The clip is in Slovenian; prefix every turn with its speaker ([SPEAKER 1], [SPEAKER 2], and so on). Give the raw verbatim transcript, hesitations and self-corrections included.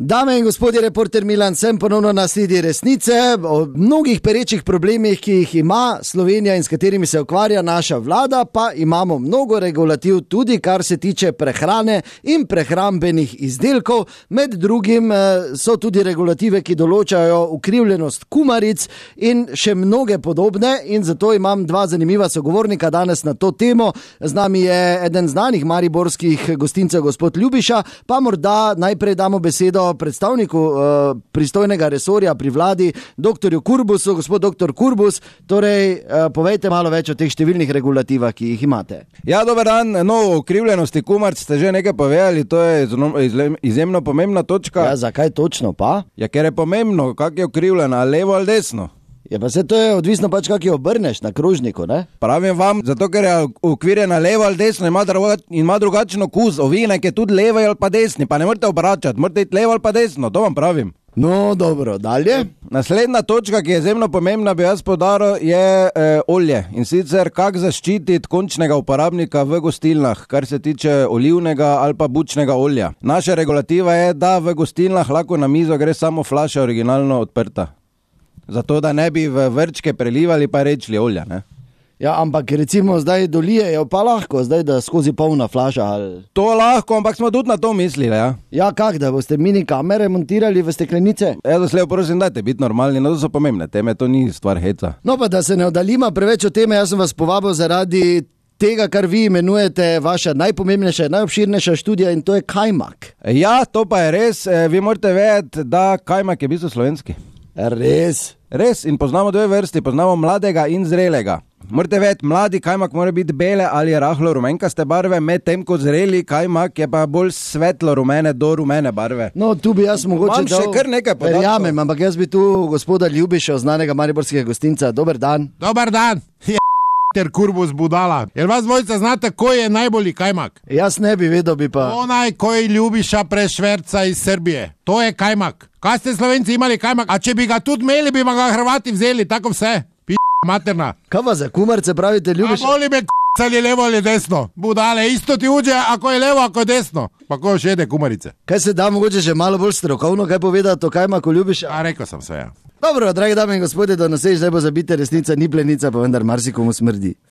[SPEAKER 1] Dame in gospodje, reporter Milan, sem ponovno na sledi resnice o mnogih perečih problemih, ki jih ima Slovenija in s katerimi se ukvarja naša vlada, pa imamo mnogo regulativ tudi, kar se tiče prehrane in prehrambenih izdelkov. Med drugim so tudi regulative, ki določajo ukrivljenost kumaric in še mnoge podobne, in zato imam dva zanimiva sogovornika danes na to temo. Z nami je eden znanih mariborskih gostincev, gospod Ljubiša, pa morda najprej damo besedo predstavniku uh, pristojnega resorja pri vladi, doktorju Kurbusu. Gospod doktor Kurbus, torej uh, povejte malo več o teh številnih regulativah, ki jih imate.
[SPEAKER 2] Ja, dober dan. No, o ukrivljenosti kumaric ste že nekaj povedali, to je izjemno pomembna točka.
[SPEAKER 1] Ja, zakaj točno pa?
[SPEAKER 2] Ja, ker je pomembno, kak je ukrivljena, levo ali desno.
[SPEAKER 1] Ja, pa se to je odvisno pač, kak jo obrneš na krožniku, ne?
[SPEAKER 2] Pravim vam, zato ker je ukvirjena levo ali desno, ima, drugač, ima drugačen okus. Ovinek je tudi levo ali pa desni, pa ne morate obračati, morate iti levo ali pa desno, to vam pravim.
[SPEAKER 1] No, dobro, dalje.
[SPEAKER 2] Naslednja točka, ki je izjemno pomembna, bi jaz poudaril, je e, olje. In sicer, kako zaščititi končnega uporabnika v gostilnah, kar se tiče olivnega ali pa bučnega olja. Naša regulativa je, da v gostilnah lahko na mizo gre samo flaša originalno odprta. Zato, da ne bi v vrčke prelivali pa rečli olja, ne?
[SPEAKER 1] Ja, ampak recimo zdaj dolijejo pa lahko, zdaj da skozi polna flaša ali...
[SPEAKER 2] To lahko, ampak smo tudi na to mislili, ja.
[SPEAKER 1] Ja, kak, da boste mini kamere montirali v steklenice?
[SPEAKER 2] Ja, doslej, prosim, dajte biti normalni, no to so pomembne teme, to ni stvar heca.
[SPEAKER 1] No pa da se ne oddalima preveč o teme, jaz sem vas povabil zaradi tega, kar vi imenujete vaša najpomembnejša, najobširnejša študija, in to je kajmak.
[SPEAKER 2] Ja, to pa je res, vi morate vedeti, da kajmak je v bistvu slovenski.
[SPEAKER 1] Res?
[SPEAKER 2] Res, in poznamo dve vrsti, poznamo mladega in zrelega. Morate vedeti, mladi kajmak mora biti bele ali rahlo rumenkaste barve, medtem ko zreli kajmak je pa bolj svetlo rumene do rumene barve.
[SPEAKER 1] No, tu bi jaz mogoče
[SPEAKER 2] dal... še kar nekaj podatkov.
[SPEAKER 1] Verjamem, ampak jaz bi tu gospoda Ljubiša, znanega mariborskega gostinca. Dober dan.
[SPEAKER 3] Dober dan. Ter Kurbus budala. Jer vas dvojica znate, ko je najbolji kajmak?
[SPEAKER 1] Jaz ne bi vedel, bi pa...
[SPEAKER 3] Onaj, koji Ljubiša prešverca iz Srbije. To je kajmak. Kaj ste Slovenci imali kajmak? A če bi ga tudi imeli, bi ga Hrvati vzeli, tako vse. P*** materna.
[SPEAKER 1] Kaj pa za kumarce pravite, Ljubiša?
[SPEAKER 3] A boli me k*** ali levo ali desno. Budale, isto ti uđe, ako je levo, ako je desno. Pa ko še jede kumarice.
[SPEAKER 1] Kaj se da mogoče že malo bolj strokovno, kaj povedati o kajmaku, Ljubiša?
[SPEAKER 3] A rekel sem sve, ja.
[SPEAKER 1] Dobro, dragi dame in gospodje, do naslednjič, zdaj bo zabite resnica, ni plenica, pa vendar marsikomu smrdi.